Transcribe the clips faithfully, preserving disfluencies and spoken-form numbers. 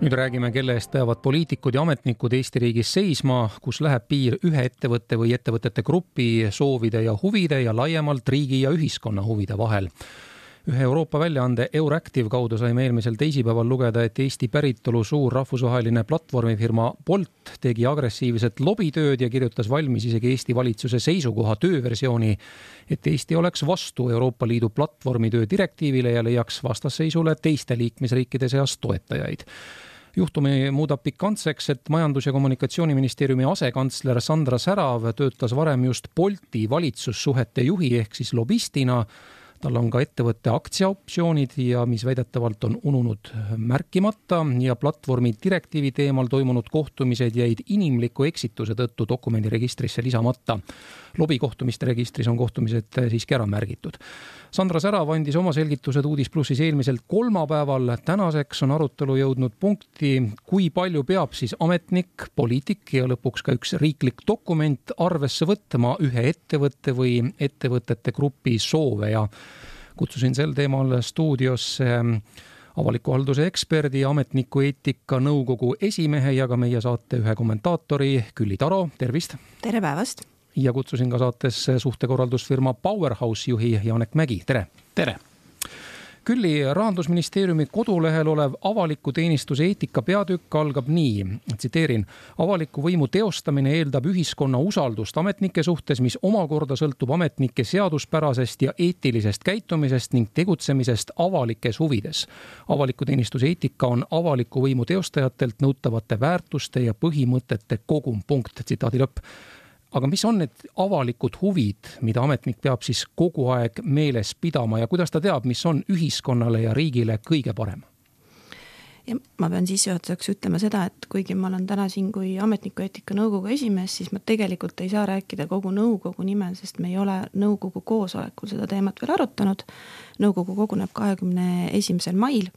Nüüd räägime, kelle eest peavad poliitikud ja ametnikud Eesti riigis seisma, kus läheb piir ühe ettevõtte või ettevõtete grupi soovide ja huvide ja laiemalt riigi ja ühiskonna huvide vahel. Ühe Euroopa väljaande Euractiv kaudu saime eelmisel teisipäeval lugeda, et Eesti päritolu suur rahvusvaheline platvormifirma Bolt tegi agressiivset lobitööd ja kirjutas valmis isegi Eesti valitsuse seisukoha tööversiooni, et Eesti oleks vastu Euroopa Liidu platvormitöö direktiivile ja leiaks vastasseisule teiste liikmesriikide seas toetajaid. Juhtumi muudab pikantseks, et Majandus- ja Kommunikatsiooniministeeriumi asekantsler Sandra Särav töötas varem just Bolti valitsussuhete juhi ehk siis lobistina. Tal on ka ettevõtte aktsiaoptsioonid ja mis väidetavalt on ununud märkimata ja platvormi direktiivi teemal toimunud kohtumised jäid inimliku eksituse tõttu dokumendiregistrisse lisamata. Lobikohtumiste registris on kohtumised siiski ära märgitud. Sandra Särav andis oma selgitused Uudis Plussis eelmisel kolmapäeval. Tänaseks on arutelu jõudnud punkti, kui palju peab siis ametnik, poliitik ja lõpuks ka üks riiklik dokument arvesse võtma ühe ettevõtte või ettevõtete grupi soove ja kutsusin sel teemal stuudiosse avaliku halduse eksperdi, ametniku eetika nõukogu esimehe ja ka meie saate ühe kommentaatori Külli Taro. Tervist! Tere päevast! Ja kutsusin ka saates suhtekorraldusfirma Powerhouse juhi Janek Mägi. Tere! Tere! Külli, Rahandusministeeriumi kodulehel olev avaliku teenistuse eetika peatükk algab nii, tsiteerin, avaliku võimu teostamine eeldab ühiskonna usaldust ametnike suhtes, mis omakorda sõltub ametnike seaduspärasest ja eetilisest käitumisest ning tegutsemisest avalikes huvides. Avaliku teenistuse eetika on avaliku võimu teostajatelt nõutavate väärtuste ja põhimõtete kogum. Punkt, tsitaadi lõpp. Aga mis on need avalikud huvid, mida ametnik peab siis kogu aeg meeles pidama ja kuidas ta teab, mis on ühiskonnale ja riigile kõige parem? Ja ma pean sissejuhatuseks ütlema seda, et kuigi ma olen täna siin kui ametniku eetika nõukogu esimees, siis ma tegelikult ei saa rääkida kogu nõukogu nimel, sest me ei ole nõukogu koosolekul seda teemat veel arutanud. Nõukogu koguneb kahekümne esimesel mail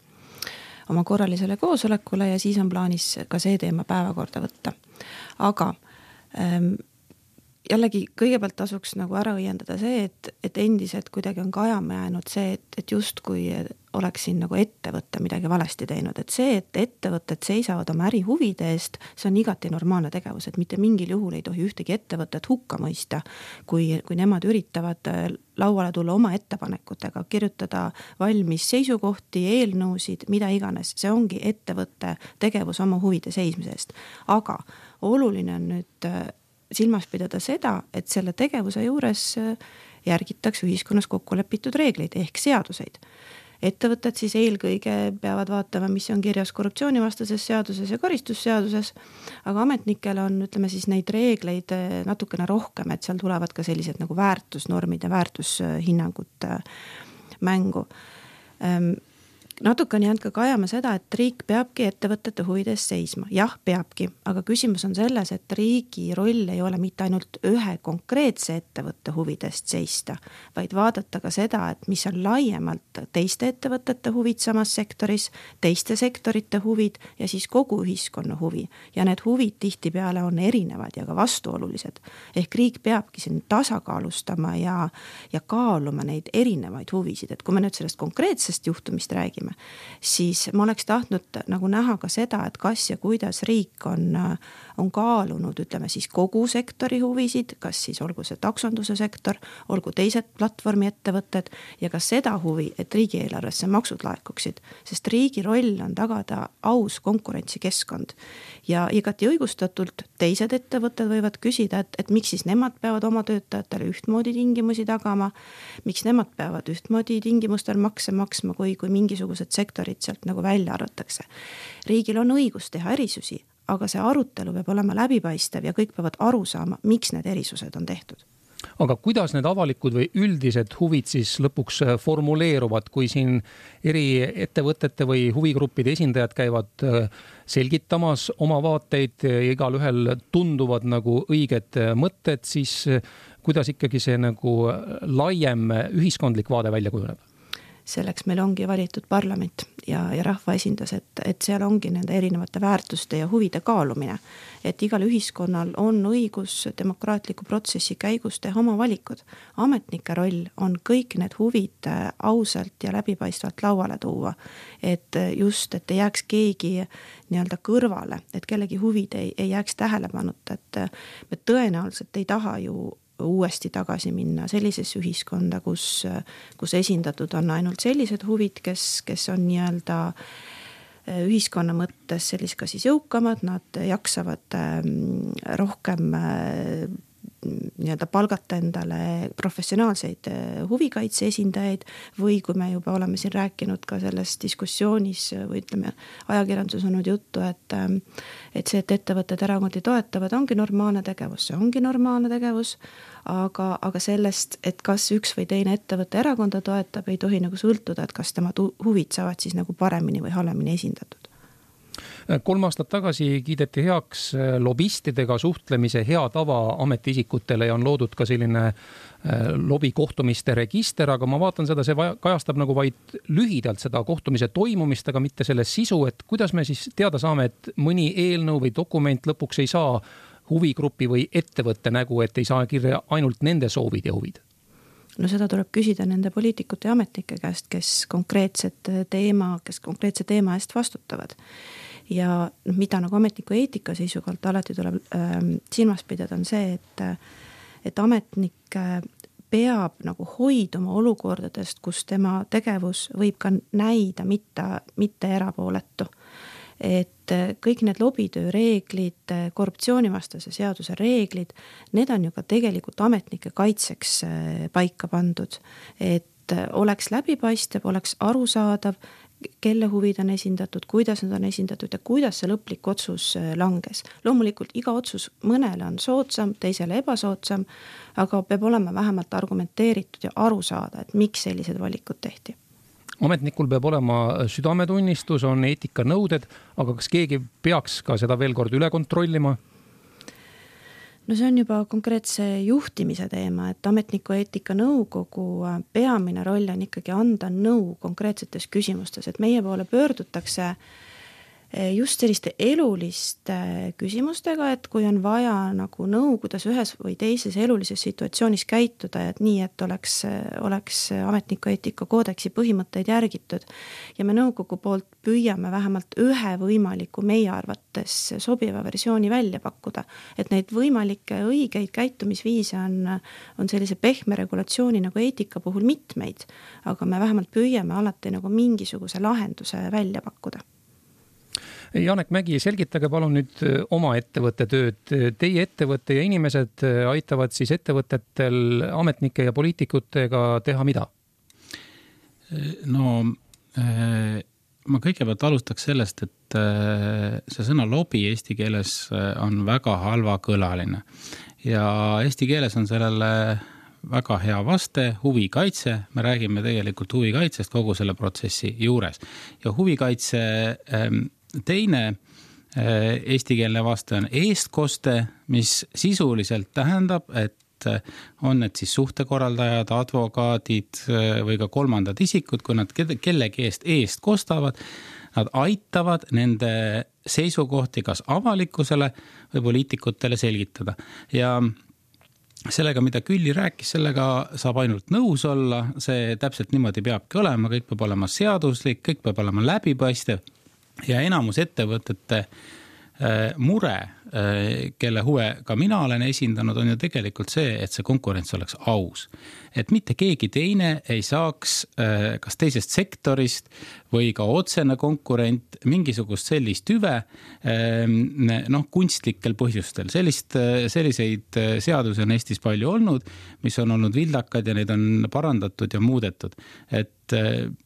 oma korralisele koosolekule ja siis on plaanis ka see teema päevakorda võtta. Aga ähm, jällegi kõigepealt tasuks nagu ära õiendada see, et, et endiselt kuidagi on kajama jäänud see, et, et just kui oleks siin nagu ettevõtte midagi valesti teinud, et see, et ettevõtted seisavad oma äri huvide eest, see on igati normaalne tegevus, et mitte mingil juhul ei tohi ühtegi ettevõtet hukka mõista, kui, kui nemad üritavad lauale tulla oma ettepanekutega, kirjutada valmis seisukohti, eelnõusid, mida iganes, see ongi ettevõtte tegevus oma huvide seismisest. Aga oluline on nüüd silmas pidada seda, et selle tegevuse juures järgitakse ühiskonnas kokkulepitud reegleid ehk seaduseid. Ettevõtted siis eelkõige peavad vaatama, mis on kirjas korruptsioonivastases seaduses ja karistusseaduses, aga ametnikel on, ütleme siis, neid reegleid natukene rohkem, et seal tulevad ka sellised nagu väärtusnormid ja väärtushinnangud mängu. Natuke on jäänud ka kajama seda, et riik peabki ettevõtete huvides seisma. Jah, peabki, aga küsimus on selles, et riigi roll ei ole mitte ainult ühe konkreetse ettevõtte huvidest seista, vaid vaadata ka seda, et mis on laiemalt teiste ettevõtete huvid samas sektoris, teiste sektorite huvid ja siis kogu ühiskonna huvi. Ja need huvid tihtipeale on erinevad ja ka vastuolulised. Ehk riik peabki siin tasakaalustama ja, ja kaaluma neid erinevaid huvisid. Et kui me nüüd sellest konkreetsest juhtumist räägime, siis ma oleks tahtnud nagu näha ka seda, et kas ja kuidas riik on, on kaalunud, ütleme siis kogu sektori huvisid, kas siis olgu see taksonduse sektor, olgu teised platvormi ettevõtted ja ka seda huvi, et riigieelarvesse maksud laekuksid, sest riigi roll on tagada aus konkurentsikeskkond ja igati õigustatult teised ettevõtted võivad küsida, et, et miks siis nemad peavad oma töötajatele ühtmoodi tingimusi tagama, miks nemad peavad ühtmoodi tingimustel makse maksma, kui, kui mingisugused sektorid sealt nagu välja arvatakse. Riigil on õigus teha erisusi, aga see arutelu peab olema läbipaistev ja kõik peavad aru saama, miks need erisused on tehtud. Aga kuidas need avalikud või üldised huvid siis lõpuks formuleeruvad, kui siin eri ettevõtete või huvigruppide esindajad käivad selgitamas oma vaateid ja igal ühel tunduvad nagu õiged mõtted, siis kuidas ikkagi see nagu laiem ühiskondlik vaade välja kujuneb? selleks meil ongi valitud parlament ja, ja rahvaesindas, et, et seal ongi nende erinevate väärtuste ja huvide kaalumine. Et igal ühiskonnal on õigus demokraatliku protsessi käigus teha oma valikud. Ametnike roll on kõik need huvid ausalt ja läbipaistvalt lauale tuua. Et just, et ei jääks keegi nii-öelda kõrvale, et kellegi huvid ei, ei jääks tähelepanuta, et me tõenäoliselt ei taha ju uuesti tagasi minna sellises ühiskonda, kus, kus esindatud on ainult sellised huvid, kes, kes on nii-öelda ühiskonna mõttes sellis ka siis jõukamad, nad jaksavad rohkem nii-öelda palgata endale professionaalseid huvikaitse esindajaid või kui me juba oleme siin rääkinud ka selles diskussioonis või ütleme, ajakirjandus on nüüd juttu, et, et see, et ettevõtted erakondi toetavad, ongi normaalne tegevus, see ongi normaalne tegevus, aga, aga sellest, et kas üks või teine ettevõtte erakonda toetab, ei tohi nagu sõltuda, et kas tema huvid saavad siis nagu paremini või halvemini esindatud. Kolm aastat tagasi kiideti heaks lobistidega suhtlemise hea tava ametiisikutele ja on loodud ka selline lobikohtumiste register, aga ma vaatan seda, see kajastab nagu vaid lühidalt seda kohtumise toimumist, aga mitte selle sisu, et kuidas me siis teada saame, et mõni eelnõu või dokument lõpuks ei saa huvigrupi või ettevõtte nägu, et ei saa kirja ainult nende soovid ja huvid? No seda tuleb küsida nende poliitikute ja ametnike käest, kes konkreetset teema, kes konkreetse teema eest vastutavad. Ja mida nagu ametniku eetika seisukohalt alati tuleb äh, silmas pidada on see, et, et ametnik peab nagu hoiduma olukordadest, kus tema tegevus võib ka näida mitte, mitte erapooletu. Et kõik need lobitöö reeglid, korruptsioonivastase seaduse reeglid, need on ju ka tegelikult ametnike kaitseks paika pandud. Et oleks läbipaistev, oleks arusaadav, kelle huvid on esindatud, kuidas nad on esindatud ja kuidas see lõplik otsus langes. Loomulikult iga otsus mõnele on soodsam, teisele ebasoodsam, aga peab olema vähemalt argumenteeritud ja aru saada, et miks sellised valikud tehti. Ametnikul peab olema südametunnistus, on eetikanõuded, aga kas keegi peaks ka seda veel kord üle kontrollima? No see on juba konkreetse juhtimise teema, et ametniku eetika nõukogu peamine roll on ikkagi anda nõu konkreetsetes küsimustes, et meie poole pöördutakse just selliste eluliste küsimustega, et kui on vaja nagu nõu, kuidas ühes või teises elulises situatsioonis käituda, et nii, et oleks, oleks ametniku eetika koodeksi põhimõtteid järgitud. Ja me nõukogu poolt püüame vähemalt ühe võimaliku meie arvates sobiva versiooni välja pakkuda, et neid võimalikke õigeid käitumisviise on, on sellise pehme regulatsiooni nagu eetika puhul mitmeid, aga me vähemalt püüame alati nagu mingisuguse lahenduse välja pakkuda. Janek Mägi, selgitage palun nüüd oma ettevõtte tööd. Teie ettevõtte ja inimesed aitavad siis ettevõtetel ametnike ja poliitikutega teha mida? No ma kõigepealt alustaks sellest, et see sõna lobi eesti keeles on väga halva kõlaline. Ja eesti keeles on sellele väga hea vaste, huvikaitse. Me räägime tegelikult huvikaitsest kogu selle protsessi juures. Ja huvikaitse teine eestikeelne vaste on eestkoste, mis sisuliselt tähendab, et on need siis suhtekorraldajad, advokaadid või ka kolmandad isikud, kui nad kellegi eest eest kostavad, nad aitavad nende seisukohti kas avalikkusele või poliitikutele selgitada. Ja sellega, mida Külli rääkis, sellega saab ainult nõus olla, see täpselt niimoodi peabki olema, kõik peab olema seaduslik, kõik peab olema läbipaistev. Ja enamus ettevõtete mure, kelle huve ka mina olen esindanud, on ju tegelikult see, et see konkurents oleks aus. Et mitte keegi teine ei saaks kas teisest sektorist või ka otsene konkurent mingisugust sellist hüve noh, kunstlikel põhjustel. Sellist, selliseid seadusi on Eestis palju olnud, mis on olnud vildakad ja neid on parandatud ja muudetud. Et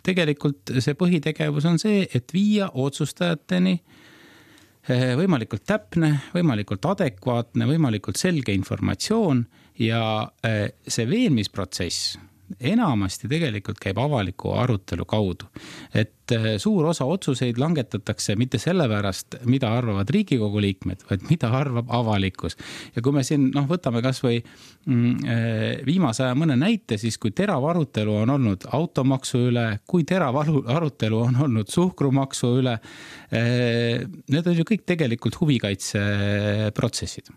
tegelikult see põhitegevus on see, et viia otsustajateni võimalikult täpne, võimalikult adekvaatne, võimalikult selge informatsioon ja see veenmisprotsess enamasti tegelikult käib avaliku arutelu kaudu. Et suur osa otsuseid langetatakse mitte sellepärast, mida arvavad Riigikogu liikmed, vaid mida arvab avalikkus. Ja kui me siin noh, võtame kas või mm, viimase aja mõne näite, siis kui terav arutelu on olnud automaksu üle, kui terav arutelu on olnud suhkrumaksu üle, need on ju kõik tegelikult huvikaitseprotsessid.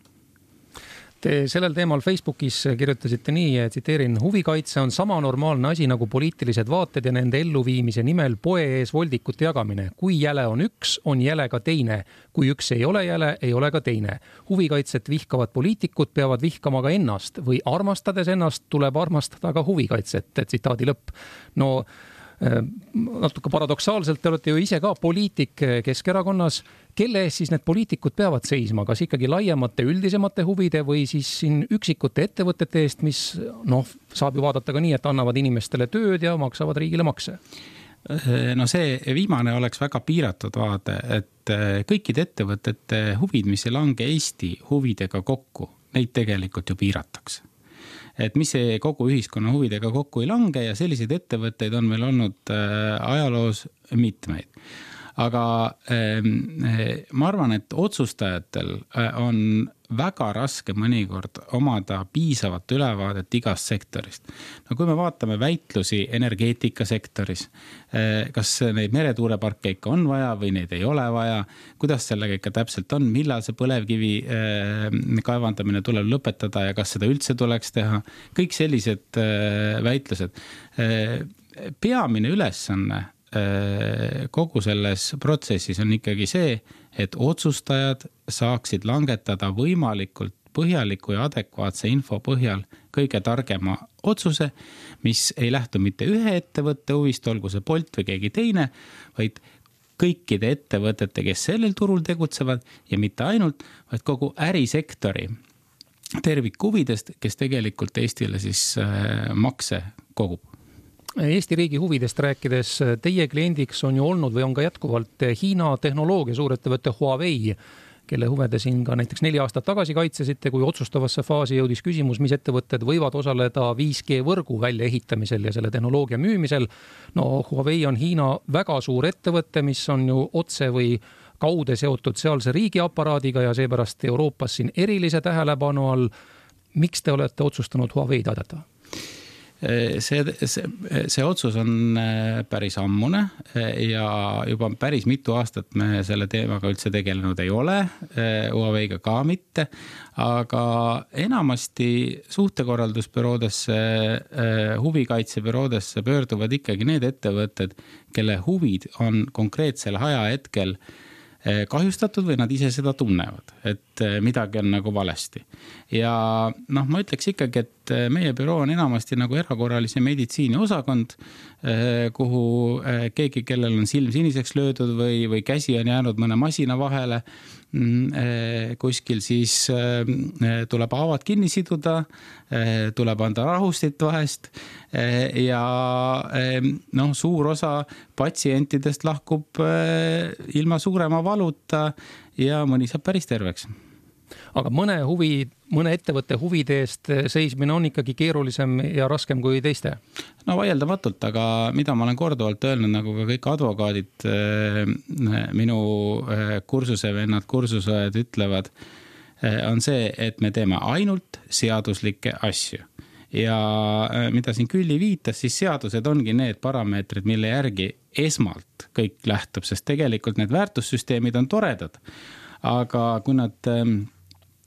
Te sellel teemal Facebookis kirjutasite nii, tsiteerin, huvikaitse on sama normaalne asi nagu poliitilised vaated ja nende elluviimise nimel poe ees voldikute jagamine. Kui jäle on üks, on jäle ka teine. Kui üks ei ole jäle, ei ole ka teine. Huvikaitset vihkavad poliitikud peavad vihkama ka ennast või armastades ennast tuleb armastada ka huvikaitset, tsitaadi lõpp. No natuke paradoksaalselt, te olete ju ise ka poliitik Keskerakonnas. Kelle ees siis need poliitikud peavad seisma? Kas ikkagi laiemate üldisemate huvide või siis siin üksikute ettevõtete eest, mis noh, saab ju vaadata ka nii, et annavad inimestele tööd ja maksavad riigile makse? No see viimane oleks väga piiratud vaade, et kõikide ettevõtete huvid, mis ei lange Eesti huvidega kokku, neid tegelikult ju piiratakse. Et mis see kogu ühiskonna huvidega kokku ei lange ja selliseid ettevõtteid on meil olnud ajaloos mitmeid. Aga ma arvan, et otsustajatel on väga raske mõnikord omada piisavat ülevaadet igast sektorist. No kui me vaatame väitlusi energeetikasektoris, kas neid meretuuleparke ikka on vaja või neid ei ole vaja, kuidas sellega ikka täpselt on, millal see põlevkivi kaevandamine tuleb lõpetada ja kas seda üldse tuleks teha, kõik sellised väitlused. Peamine ülesanne kogu selles protsessis on ikkagi see, et otsustajad saaksid langetada võimalikult põhjaliku ja adekvaatse info põhjal kõige targema otsuse, mis ei lähtu mitte ühe ettevõtte huvist, olgu see Bolt või keegi teine, vaid kõikide ettevõtete, kes sellel turul tegutsevad ja mitte ainult, vaid kogu ärisektori tervikhuvidest, kes tegelikult Eestile siis makse kogub. Eesti riigi huvidest rääkides, teie kliendiks on ju olnud või on ka jätkuvalt Hiina tehnoloogia suurettevõtte Huawei, kelle huvede siin ka näiteks neli aastat tagasi kaitsesite, kui otsustavasse faasi jõudis küsimus, mis ettevõtted võivad osaleda viis G võrgu väljaehitamisel ja selle tehnoloogia müümisel. No Huawei on Hiina väga suur ettevõte, mis on ju otse või kaude seotud sealse riigiaparaadiga ja seepärast Euroopas siin erilise tähelepanu all. Miks te olete otsustanud Huawei'd aidata? See, see, see otsus on päris ammune ja juba päris mitu aastat me selle teemaga üldse tegelenud ei ole, Huawei'ga ka mitte, aga enamasti suhtekorraldusbüroodesse, huvikaitsebüroodesse pöörduvad ikkagi need ettevõtted, kelle huvid on konkreetsel ajahetkel kahjustatud või nad ise seda tunnevad, et midagi on nagu valesti. Ja noh, ma ütleks ikkagi, et meie büroo on enamasti nagu erakorralise meditsiini osakond, kuhu keegi, kellel on silm siniseks löödud või, või käsi on jäänud mõne masina vahele, kuskil siis tuleb haavad kinni siduda, tuleb anda rahustit vahest ja noh, suur osa patsientidest lahkub ilma suurema valuta ja mõni saab päris terveks. Aga mõne huvi, mõne ettevõtte huvide eest seismine on ikkagi keerulisem ja raskem kui teiste? No vaieldamatult, aga mida ma olen korduvalt öelnud, nagu ka kõik advokaadid, minu kursusevennad, kursusajad ütlevad, on see, et me teeme ainult seaduslikke asju. Ja mida siin Külli viitas, siis seadused ongi need parameetrid, mille järgi esmalt kõik lähtub, sest tegelikult need väärtussüsteemid on toredad. Aga kui nad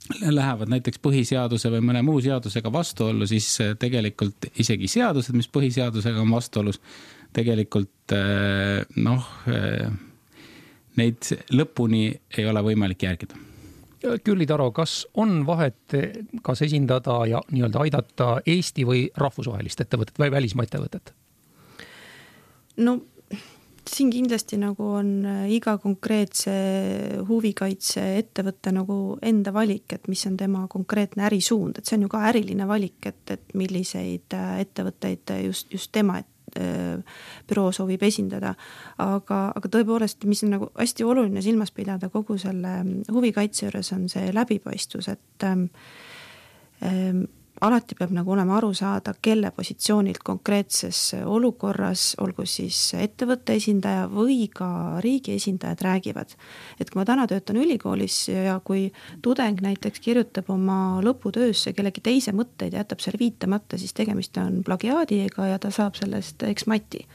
lähevad näiteks põhiseaduse või mõne muu seadusega vastuollu, siis tegelikult isegi seadused, mis põhiseadusega on vastuolus, tegelikult noh, neid lõpuni ei ole võimalik järgida. Külli Taro, kas on vahet, kas esindada ja nii-öelda aidata Eesti või rahvusvahelist ettevõtet või välismaa ettevõtet? No siin kindlasti nagu on iga konkreetse huvikaitse ettevõtte nagu enda valik, et mis on tema konkreetne ärisuund, et see on ju ka äriline valik, et, et milliseid ettevõtteid just, just tema et, büroo soovib esindada. Aga, aga tõepoolest, mis on nagu hästi oluline silmas pidada kogu selle huvikaitse juures on see läbipaistvus, et ähm, alati peab nagu olema aru saada, kelle positsioonilt konkreetses olukorras, olgu siis ettevõtte esindaja või ka riigi esindajad räägivad. Et kui ma täna töötan ülikoolis ja kui tudeng näiteks kirjutab oma lõputöösse kellegi teise mõtteid ja jätab selle viitamata, siis tegemist on plagiaadiga ja ta saab sellest eksmati.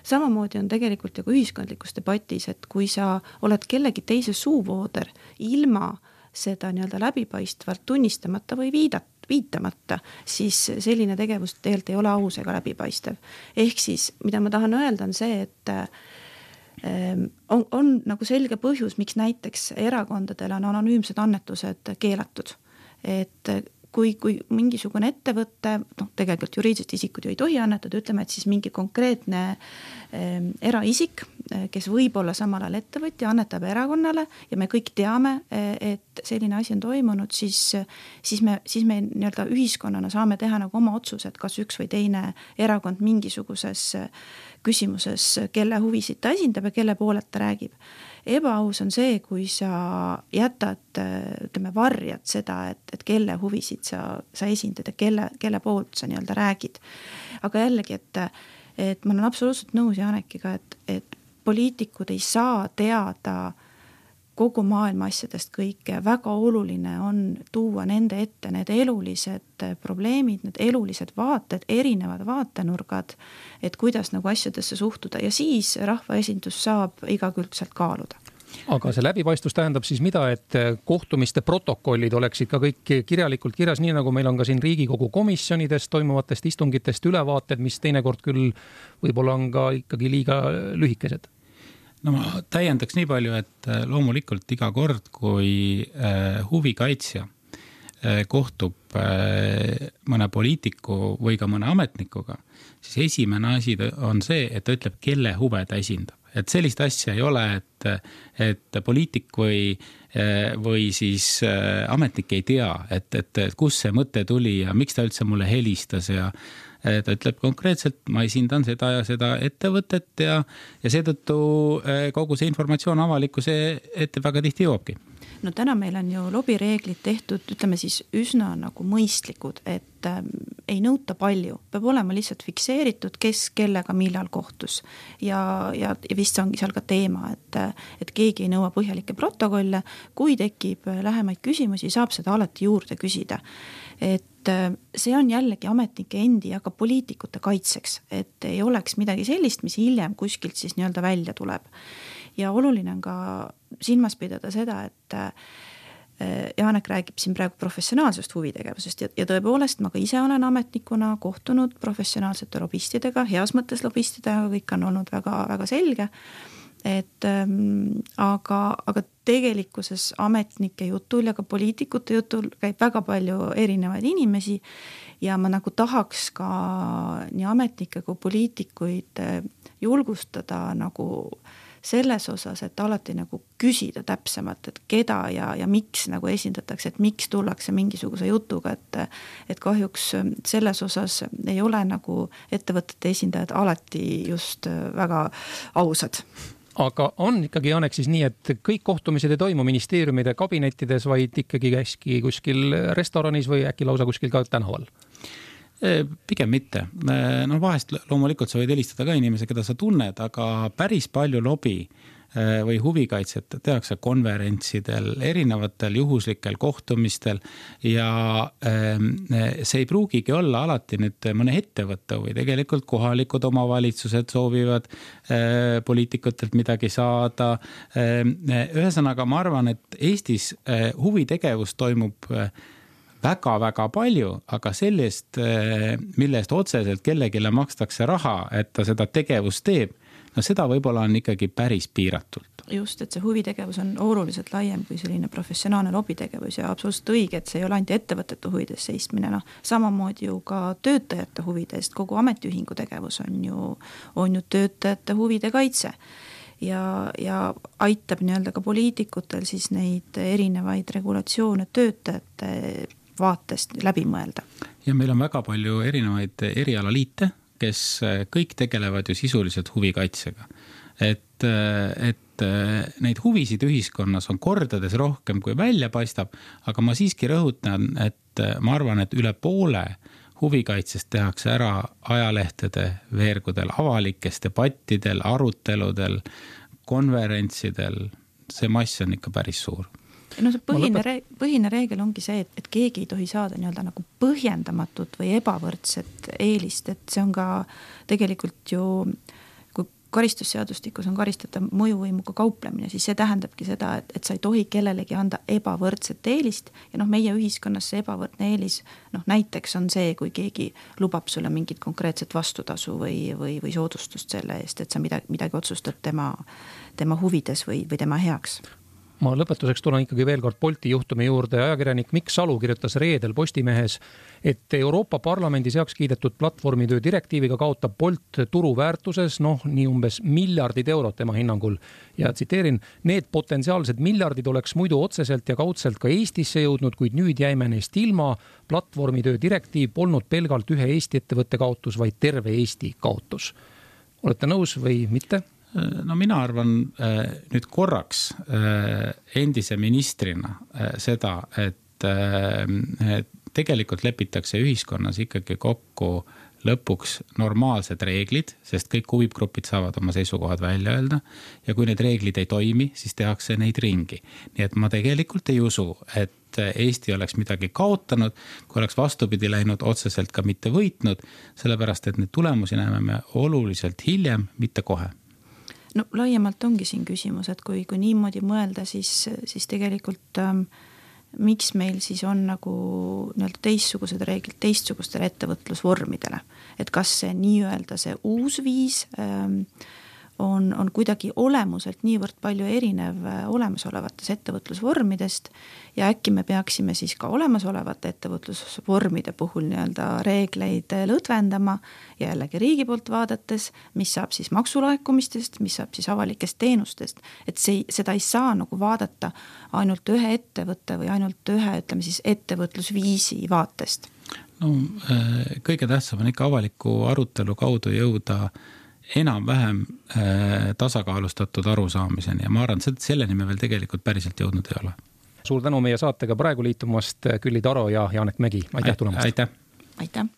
Samamoodi on tegelikult ju ka ühiskondlikus debatis, et kui sa oled kellegi teise suuvooder ilma seda nii-öelda läbipaistvalt tunnistamata või viidat, viitamata, siis selline tegevus tegelikult ei ole aus ega läbipaistev. Ehk siis, mida ma tahan öelda, on see, et on, on nagu selge põhjus, miks näiteks erakondadel on anonüümsed annetused keelatud. Et kui, kui mingisugune ettevõtte, noh, tegelikult juriidilised isikud ju ei tohi annetada, ütleme, et siis mingi konkreetne eh, eraisik, kes võib olla samal ajal ettevõtja, annetab erakonnale ja me kõik teame, et selline asi on toimunud, siis, siis me, siis me nii-öelda ühiskonnana saame teha nagu oma otsused, kas üks või teine erakond mingisuguses küsimuses, kelle huvisid ta esindab ja kelle poolelt ta räägib. Ebaaus on see, kui sa jätad, ütleme, varjad seda, et, et kelle huvisid sa, sa esindad ja kelle, kelle poolt sa nii-öelda räägid. Aga jällegi, et, et ma olen absoluutselt nõus Janekiga, et, et poliitikud ei saa teada kogu maailma asjadest kõike. Väga oluline on tuua nende ette need elulised probleemid, need elulised vaated, erinevad vaatenurgad, et kuidas nagu asjadesse suhtuda ja siis rahvaesindus saab igakülgselt kaaluda. Aga see läbipaistvus tähendab siis mida, et kohtumiste protokollid oleksid ka kõik kirjalikult kirjas, nii nagu meil on ka siin Riigikogu komisjonidest toimuvatest istungitest ülevaated, mis teinekord küll võib-olla on ka ikkagi liiga lühikesed. No ma täiendaks nii palju, et loomulikult iga kord, kui huvikaitsja kohtub mõne poliitiku või ka mõne ametnikuga, siis esimene asi on see, et ta ütleb, kelle huve ta esindab. Et sellist asja ei ole, et, et poliitik või, või siis ametnik ei tea, et, et, et kus see mõte tuli ja miks ta üldse mulle helistas ja ta ütleb konkreetselt, ma esindan seda ja seda ettevõtet ja, ja seetõttu kogu see informatsioon avalikkuse ette väga tihti jõuabki. No täna meil on ju lobireeglid tehtud, ütleme siis üsna nagu mõistlikud, et äh, ei nõuta palju. Peab olema lihtsalt fikseeritud, kes kellega millal kohtus. Ja, ja, ja vist ongi seal ka teema, et, et keegi ei nõua põhjalikke protokolle. Kui tekib lähemaid küsimusi, saab seda alati juurde küsida. Et äh, see on jällegi ametnike endi ja ka poliitikute kaitseks, et ei oleks midagi sellist, mis hiljem kuskilt siis nii-öelda välja tuleb. Ja oluline on ka silmas pidada seda, et Janek räägib siin praegu professionaalsest huvitegevusest ja, ja tõepoolest ma ka ise olen ametnikuna kohtunud professionaalsete lobistidega, heas mõttes lobistidega, kõik on olnud väga, väga selge, et ähm, aga, aga tegelikkuses ametnike jutul ja ka poliitikute jutul käib väga palju erinevaid inimesi ja ma nagu tahaks ka nii ametnikke kui poliitikuid julgustada nagu selles osas, et alati nagu küsida täpsemalt, et keda ja, ja miks nagu esindatakse, et miks tullakse mingisuguse jutuga, et, et kahjuks selles osas ei ole nagu ettevõtete esindajad alati just väga ausad. Aga on ikkagi, Janek, siis nii, et kõik kohtumised ei toimu ministeeriumide kabinettides, vaid ikkagi käiski kuskil restoranis või äkki lausa kuskil ka tänaval? Pigem mitte. No vahest loomulikult sa võid helistada ka inimese, keda sa tunned, aga päris palju lobi või huvikaitset tehakse konverentsidel, erinevatel juhuslikel kohtumistel ja see ei pruugigi olla alati nüüd mõne ettevõtte või tegelikult kohalikud omavalitsused soovivad poliitikutelt midagi saada. Ühesõnaga, ma arvan, et Eestis huvitegevus toimub väga-väga palju, aga sellest, mille eest otseselt kellegile makstakse raha, et ta seda tegevust teeb, no seda võib-olla on ikkagi päris piiratult. Just, et see huvitegevus on oluliselt laiem kui selline professionaalne lobitegevus ja absoluutselt õige, et see ei ole ainult ettevõtete huvides seistmine, no samamoodi ju ka töötajate huvidest, kogu ametiühingu tegevus on ju, on ju töötajate huvide kaitse. Ja, ja aitab nii-öelda ka poliitikutel siis neid erinevaid regulatsioone töötajate vaatest läbi mõelda. Ja meil on väga palju erinevaid erialaliite, kes kõik tegelevad ju sisuliselt huvikaitsega. Et, et et neid huvisid ühiskonnas on kordades rohkem kui välja paistab, aga ma siiski rõhutan, et ma arvan, et üle poole huvikaitsest tehakse ära ajalehtede veergudel, avalikes debattidel, aruteludel, konverentsidel, see mass on ikka päris suur. No see põhine, lõpet... põhine reegel ongi see, et, et keegi ei tohi saada nii-öelda nagu põhjendamatut või ebavõrdset eelist, et see on ka tegelikult ju, kui karistusseadustikus on karistatav mõjuvõimuga kauplemine, siis see tähendabki seda, et, et sa ei tohi kellelegi anda ebavõrdset eelist ja noh, meie ühiskonnas see ebavõrdne eelis, noh näiteks on see, kui keegi lubab sulle mingit konkreetset vastutasu või, või, või soodustust selle eest, et sa midagi, midagi otsustad tema, tema huvides või, või tema heaks. Ma lõpetuseks tulen ikkagi veel kord Bolti juhtumi juurde. Ajakirjanik Mikk Salu kirjutas reedel Postimehes, et Euroopa Parlamendis heaks kiidetud platvormitöö direktiiviga kaotab Bolt turuväärtuses, noh, nii umbes miljardid eurot tema hinnangul. Ja tsiteerin, need potentsiaalsed miljardid oleks muidu otseselt ja kaudselt ka Eestisse jõudnud, kuid nüüd jäime neist ilma. Platvormitöö direktiiv polnud pelgalt ühe Eesti ettevõtte kaotus, vaid terve Eesti kaotus. Olete nõus või mitte? No mina arvan nüüd korraks endise ministrina seda, et tegelikult lepitakse ühiskonnas ikkagi kokku lõpuks normaalsed reeglid, sest kõik huvigrupid saavad oma seisukohad välja öelda ja kui need reeglid ei toimi, siis tehakse neid ringi. Nii et ma tegelikult ei usu, et Eesti oleks midagi kaotanud, kui oleks vastupidi läinud otseselt ka mitte võitnud, sellepärast et need tulemusi näeme me oluliselt hiljem, mitte kohe. No laiemalt ongi siin küsimus, et kui, kui niimoodi mõelda, siis, siis tegelikult ähm, miks meil siis on nagu nii-öelda teistsugused reeglid teistsugustele ettevõtlusvormidele. Et kas see nii-öelda see uus viis ähm, on, on kuidagi olemuselt niivõrd palju erinev olemasolevates ettevõtlusvormidest ja äkki me peaksime siis ka olemasolevate ettevõtlusvormide puhul nii-öelda reegleid lõdvendama ja jällegi riigi poolt vaadates, mis saab siis maksulaekumistest, mis saab siis avalikest teenustest, et see, seda ei saa nagu vaadata ainult ühe ettevõtte või ainult ühe, ütleme siis ettevõtlusviisi vaatest. No kõige tähtsam on ikka avaliku arutelu kaudu jõuda enam-vähem tasakaalustatud arusaamiseni ja ma arvan, et selleni me veel tegelikult päriselt jõudnud ei ole. Suur tänu meie saatega praegu liitumast, Külli Taro ja Janek Mägi. Aitäh tulemast! Aitäh! Aitäh!